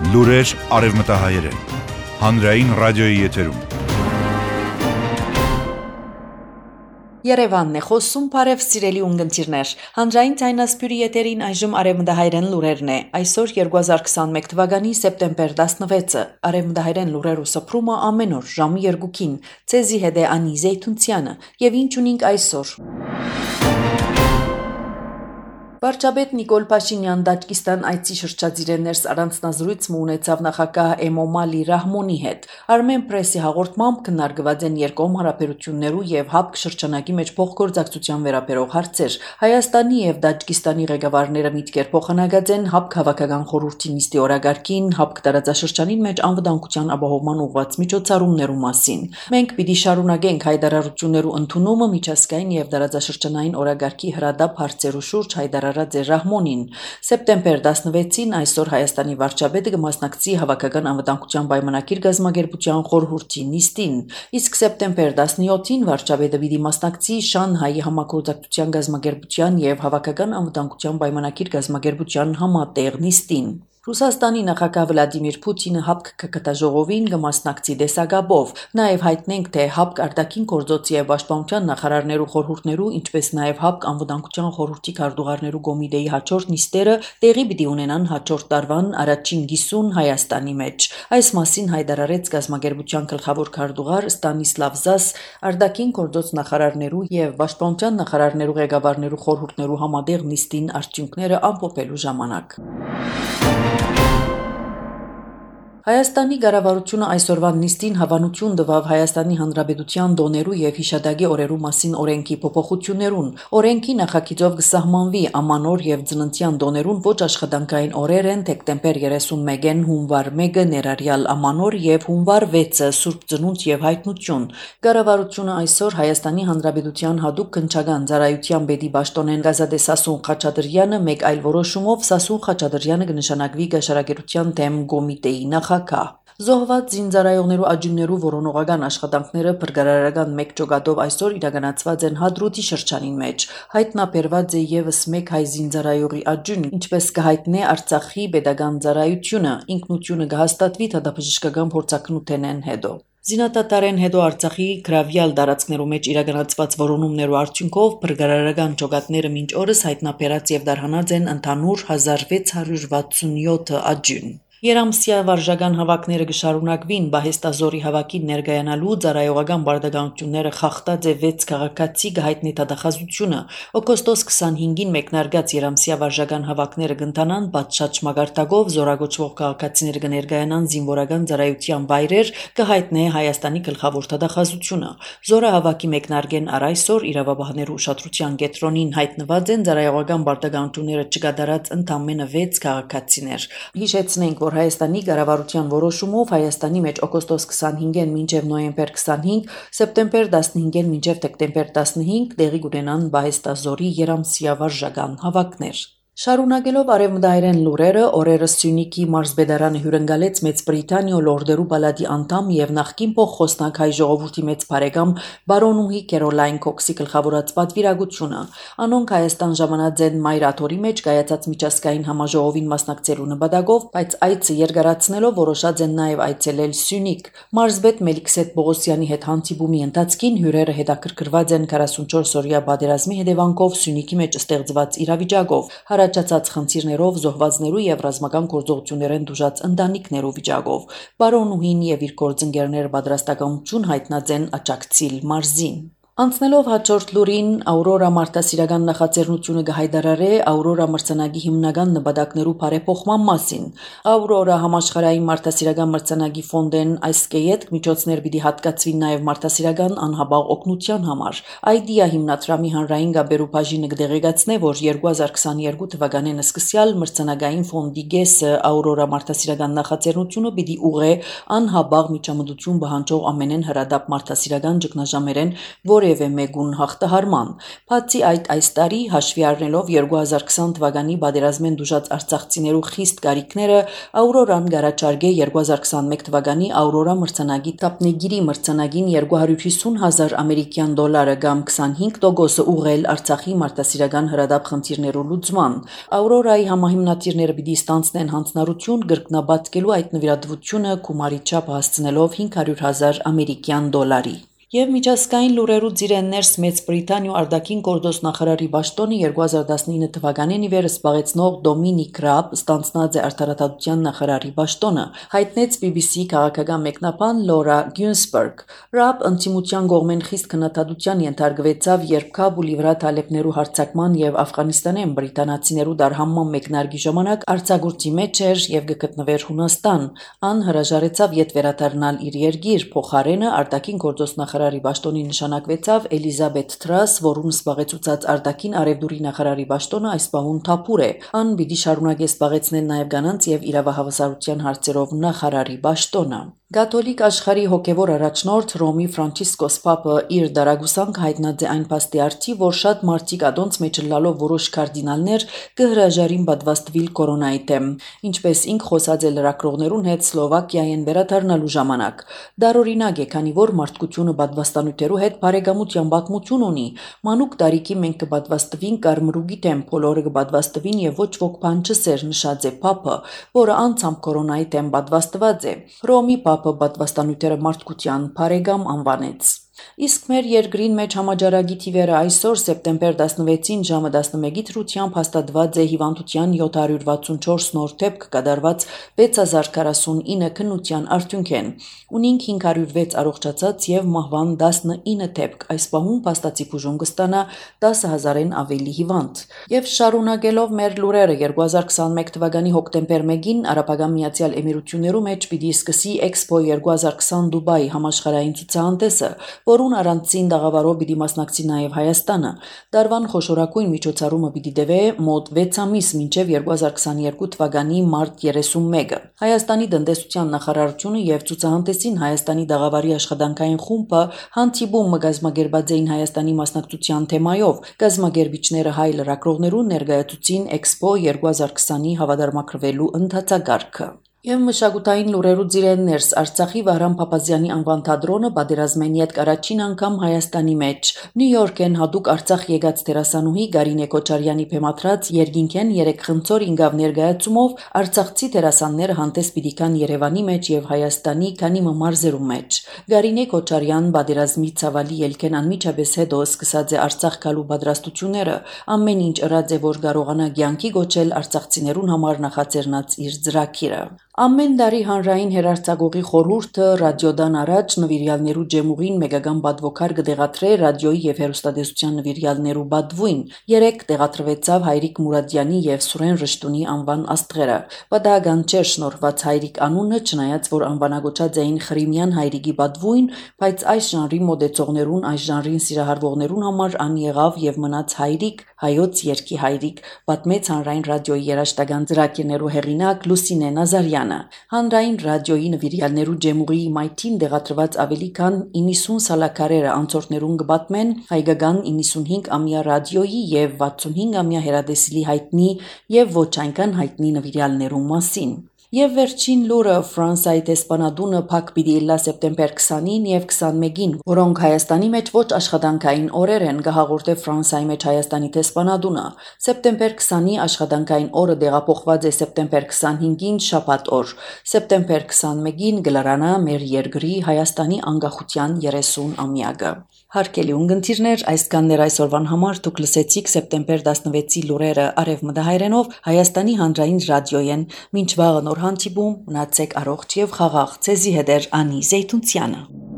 Լուրեր արևմտահայերեն, հանրային ռադիոյի եթերում։ Երևանն է խոսում, բարև սիրելի ունգընտիրներ, հանրային ձայնասպյուրի եթերին այժմ արևմտահայերեն լուրերն է, այսօր 2021 թվականի սեպտեմբեր 16-ը, արևմտահայերեն լուրերու սփռումը ամեն օր ժամի 2-ին, ցեզի հետ է Անի Զեյթունցյանը, եւ ինչ ունենք այսօր։ Վարչապետ Նիկոլ Փաշինյան Տաջիկստան այցի շրջադիր ներս առանձնազրույց ունեցավ նախագահ Էմոմալի Ռահմոնի հետ։ Armen Press-ի հաղորդմամբ քննարկված են երկկողմ հարաբերություններու եւ ՀԱՊԿ շրջանակի մեջ փոխգործակցության վերաբերող հարցեր։ Հայաստանի եւ Տաջիկստանի ղեկավարները միտքեր փոխանակած են ՀԱՊԿ հավաքական խորհրդի նիստի օրագարկին ՀԱՊԿ տարածաշրջանին մեջ անվտանգության ապահովման ուղղված միջոցառումներու մասին։ Մենք պիտի շարունակենք հայտարարություններու ընդունումը միջազգային եւ տարածաշրջանային օրագարկի հրադապ հարցերու շուրջ Ռահմոնին սեպտեմբեր 16-ին այսօր Հայաստանի վարչապետը կմասնակցի հավաքական անվտանգության պայմանագիր գազམ་ագերբության խորհրդի նիստին, իսկ սեպտեմբեր 17-ին վարչապետը պիտի մասնակցի Շանհայի համագործակցության գազམ་ագերբության եւ հավաքական անվտանգության պայմանագիր գազམ་ագերբության համատեղ նիստին։ Ռուսաստանի նախագահ Վլադիմիր Պուտինը ՀԱՊԿ կգտաժողովին կմասնակցի դեսագաբով, նաև հայտնենք, թե ՀԱՊԿ արտաքին գործոց եւ պաշտպանության նախարարներու խորհուրդներու, ինչպես նաև ՀԱՊԿ անվտանգության խորհրդի քարտուղարներու կոմիտեի հաջորդ նիստերը տեղի պիտի ունենան հաջորդ տարվան առաջին կիսուն Հայաստանի մեջ։ Այս մասին հայտարարեց գազམ་ագերբության գլխավոր քարտուղար Ստանիսլավ Զաս արտաքին գործոց նախարարներու եւ պաշտպանության նախարարներու ղեկավարներու խորհուրդներու համատեղ նիստին արդյունքները ամփոփելու ժամանակ։ Հայաստանի կառավարությունը այսօրվա նիստին հավանություն տվավ Հայաստանի Հանրապետության տոներու եւ հիշադակի օրերու մասին օրենքի փոփոխություններուն։ Օրենքի նախագիծով կսահմանվի ամանոր եւ ծննդյան տոներուն ոչ աշխատանքային օրեր են դեկտեմբեր 31-ին, հունվար 1-ը ներառյալ ամանոր եւ հունվար 6-ը Սուրբ Ծնունդ եւ Հայտնություն։ Կառավարությունը այսօր Հայաստանի Հանրապետության հատուկ քննչական ծառայության պետի պաշտոնեն Գազադե Սասուն Խաչատրյանը մեկ այլ որոշումով Սասուն Խաչատրյանը կնշանակվի գաշարակերության դեմ կոմիտեի նախագահ։ Զոհված զինծառայողներու աջուններու որոնողական աշխատանքները փրկարարական մեկ ճոգատով այսօր իրականացված են Հադրութի շրջանին մեջ։ Հայտնաբերված է եւս մեկ հայ զինծառայողի աջուն, ինչպես կհայտնե Արցախի պետական ծառայությունը, ինքնությունը կհաստատվի դատաբժշկական փորձակնութենեն հետո։ Զինադատարեն հետո Արցախի գրավյալ տարածքներու մեջ իրականացված որոնումներու արդյունքով փրկարարական ճոգատները մինչ օրս հայտնաբերած եւ դարհանած են ընդհանուր 1667 աջուն։ Երամսյա վարժական հավաքները կշարունակվին Բահեստազորի հավաքին ներկայանալու ծառայողական բարդականությունները խախտած է 6 քաղաքացի կհայտնի դատախազությունը։ Օգոստոս 25-ին մեկնարկած Երամսյա վարժական հավաքները կընթանան պատշաճ մագարտակով զորագոչվող քաղաքացիները կներկայանան զինվորական ծառայության վայրեր կհայտնե Հայաստանի գլխավոր դատախազությունը։ Զորահավաքի մեկնարկեն առ այսօր իրավաբաններու ուշադրության կենտրոնին հայտնված են ծառայողական բարդականությունները չկատարած ընդամենը 6 քաղաքացիներ։ Հիշեցնենք, որ Հայաստանի կառավարության որոշումով Հայաստանի մեջ օգոստոս 25-ին մինչև նոյեմբեր 25, սեպտեմբեր 15-ին մինչև դեկտեմբեր 15 տեղի կունենան Բահեստազորի Երամսյա վարժական հավաքներ։ Շարունակելով արևմտահայերեն լուրերը, օրերս Սյունիքի մարզպետարանը հյուրընկալեց Մեծ Բրիտանիա լորդերու պալատի անդամ եւ նախկին փոխխոսնակ հայ ժողովրդի մեծ բարեկամ բարոնուհի Քերոլայն Քոքսի գլխավորած պատվիրակությունը։ Անոնք Հայաստան ժամանած են մայրաթորի մեջ կայացած միջազգային համաժողովին մասնակցելու նպատակով, բայց այցը երկարացնելով որոշած են նաեւ այցելել Սյունիք։ Մարզպետ Մելիքսեթ Բողոսյանի հետ հանդիպումի ընթացքին հյուրերը հետաքրքրված են 44-օրյա պատերազմի հետևանքով Սյունիքի մեջ ստեղծված իրավիճակով։ Առաջացած խնդիրներով զոհվածներու եւ ռազմական գործողություններեն դժուժած ընտանիքներու վիճակով բարոնուհին եւ իր գործընկերները պատրաստակամություն հայտնած են աջակցիլ մարզին։ Անցնելով հաջորդ լուրին, Աուրորա մարդասիրական նախաձեռնությունը կհայտարարի Աուրորա մրցանակի հիմնական նպատակներու բարեփոխման մասին։ Աուրորա համաշխարհային մարդասիրական մրցանակի ֆոնդեն այս կեյետ միջոցներ պիտի հատկացվի նաև մարդասիրական անհաբաղ օգնության համար։ Այդիա հիմնադրամի հանրային գաբերու բաժինը կդեղեկացնե, որ 2022 թվականին սկսյալ մրցանակային ֆոնդի գեսը Աուրորա մարդասիրական նախաձեռնությունը պիտի ուղղե անհաբաղ միջամտություն պահանջող ամենեն հրադապ մարդասիրական ճգնաժամերեն, որ որևէ մեկուն հաղթահարման։ Բացի այդ, այս տարի հաշվի առնելով 2020 թվականի պատերազմեն դժուժած արցախցիներու խիստ կարիքները, Աուրորան գարաչարգե 2021 թվականի Աուրորա մրցանակի տապնեգիրի մրցանագին $250,000 ամերիկյան դոլարը կամ 25% ուղղել Արցախի մարդասիրական հրադապ խնդիրներու լուծման։ Աուրորայի համահիմնադիրները պիտի ստանցնեն հանձնարարություն կրկնաբացկելու այդ նվիրատվությունը գումարի չափ հասցնելով $500,000 ամերիկյան դոլարի։ Եվ միջազգային լուրերու ծիրեններս Մեծ Բրիտանիու արտաքին գործոս նախարարի պաշտոնը 2019 թվականին ի վեր զբաղեցնող Դոմինիկ Ռաբ ստանձնած է արդարադատության նախարարի պաշտոնը, հայտնեց BBC քաղաքական մեկնաբան Լորա Գյունսբերգ։ Ռաբ ընդդիմության կողմեն խիստ քննադատության ենթարկվեցավ, երբ Քաբուլի վրա թալեբներու հարձակման եւ Աֆղանիստանեն բրիտանացիներու դարհանման մեկնարկի ժամանակ արձակուրդի մեջ էր եւ գտնվեր Հունաստան։ Ան հրաժարեցավ ետ վերադառնալ իր երկիր, փոխարենը արտաքին գործոս նախարարի պաշտոնի նշանակվեցավ Էլիզաբեթ Թրաս, որուն զբաղեցուցած արտաքին արևդուրի նախարարի պաշտոնը այս պահուն թափուր է։ Ան պիտի շարունակի զբաղեցնել նաև կանանց եւ իրավահավասարության հարցերով նախարարի պաշտոնը։ Կաթոլիկ աշխարհի հոգևոր առաջնորդ Ռոմի Ֆրանցիսկոս Պապը իր դարագուսանք հայտնած է այն փաստի արդի, որ շատ մարդիկ ադոնց մեջ լալով որոշ կարդինալներ կհրաժարին պատվաստվել կորոնայի դեմ, ինչպես ինք խոսած է լրագրողներուն հետ Սլովակիայեն վերադառնալու ժամանակ։ Դարօրինակ է, քանի որ մարդկությունը պատվաստանյութերու հետ բարեկամության պատմություն ունի։ Մանուկ տարիքի մենք կպատվաստվին կարմրուկի դեմ, բոլորը կպատվաստվին եւ ոչ ոք բան չսեր, նշած է Պապը, որը անցամ կորոնայի դեմ պատվաստված է։ Ռոմի Պապը պատվաստանյութերը մարդկության բարեկամ անվանեց։ Իսկ մեր երկրին մեջ համաճարակի թիվերը այսօր սեպտեմբեր 16-ին ժամը 11-ի դրությամբ հաստատված է հիվանդության 764 նոր դեպք կատարված 6049 քննության արդյունքեն։ Ունինք 506 առողջացած եւ մահվան 19 դեպք։ Այս պահուն փաստացի բուժում կստանա 10,000-ին ավելի հիվանդ։ Եվ շարունակելով մեր լուրերը 2021 թվականի հոկտեմբեր 1-ին Արաբական Միացյալ Էմիրություններու մեջ պիտի սկսի Expo 2020 Դուբայ համաշխարհային ցուցահանդեսը, որուն առանցին դաղավարով պիտի մասնակցի նաև Հայաստանը։ Դարվան խոշորագույն միջոցառումը պիտի տևե մոտ 6 ամիս մինչև 2022 թվականի մարտ 31-ը։ Հայաստանի տնտեսության նախարարությունը եւ ցուցահանդեսին Հայաստանի դաղավարի աշխատանքային խումբը հանդիպում կազմակերպած էին Հայաստանի մասնակցության թեմայով։ Կազմակերպիչները հայ լրագրողներուն ներկայացուցին Expo 2020-ի հավատարմագրվելու ընթացակարգը։ Եվ մշակութային լուրերու ծիրեններս Արցախի Վահրամ Փափազյանի անվան թատրոնը պատերազմեն յետք առաջին անգամ Հայաստանի մեջ։ Նյու Յորքեն հատուկ Արցախ եկած դերասանուհի Գարինե Քոչարյանի փեմադրած երկինքեն 3 խնձոր ինգավ ներկայացումով արցախցի դերասանները հանդես պիտի կան Երևանի մեջ եւ Հայաստանի քանի մարզերու մեջ։ Գարինե Քոչարյան պատերազմի ցավալի ելքեն անմիջապես հետո սկսած է Արցախ գալու պատրաստությունները, ամեն ինչ ըրած է, որ կարողանա կյանքի գոչել արցախցիներուն համար նախաձեռնած իր ծրագիրը։ Ամեն տարի հանրային հեռարձակողի խորհուրդը ռադիոդան առաջ նվիրյալներու ջեմուղին մեգական բադվոքար կդեղատրե ռադիոյի եւ հեռուստատեսության նվիրյալներու բադվույն։ 3 տեղադրվեցավ Հայրիկ Մուրադյանի եւ Սուրեն Ռշտունի անվան աստղերը։ Պատահական չէր շնորհված Հայրիկ անունը, չնայած որ անվանագոչած էին Խրիմյան Հայրիկի բադվույն, բայց այս ժանրի մոդեցողներուն, այս ժանրին սիրահարվողներուն համար ան եղավ եւ մնաց Հայրիկ, հայոց երկի Հայրիկ, պատմեց հանրային ռադիոյի երաժշտական ծրագիրներու հեղինակ Լուսինե Նազարյանը։ Հանրային ռադիոյի նվիրյալներու ջեմուղի մայթին դեղադրված ավելի քան 90 սալակարերը անցորդներուն կպատմեն հայկական 95-ամյա ռադիոյի եւ 65-ամյա հեռադեսիլի հայտնի եւ ոչ այնքան հայտնի նվիրյալներու մասին։ Եվ վերջին լուրը Ֆրանսիայի տեսփանադունը փակ պիտի ելնա սեպտեմբեր 20-ին եւ 21-ին, որոնք Հայաստանի մեջ ոչ աշխատանքային օրեր են, կհաղորդե Ֆրանսիայի մեջ Հայաստանի տեսփանադունը։ Սեպտեմբեր 20-ի աշխատանքային օրը տեղափոխված է սեպտեմբեր 25-ին շաբաթ օր։ Սեպտեմբեր 21-ին գլարանա մեր երկրի Հայաստանի անկախության 30-ամյակը։ Հարգելի ունգընտիրներ, այսքաններ այսօրվան համար դուք լսեցիք սեպտեմբեր 16-ի լուրերը արևմտահայերենով Հայաստանի հանրային ռադիոյեն։ Մինչ վաղը նոր հանդիպում, մնացեք առողջ եւ խաղաղ։ Ձեզի հետ է Անի Զեյթունցյանը։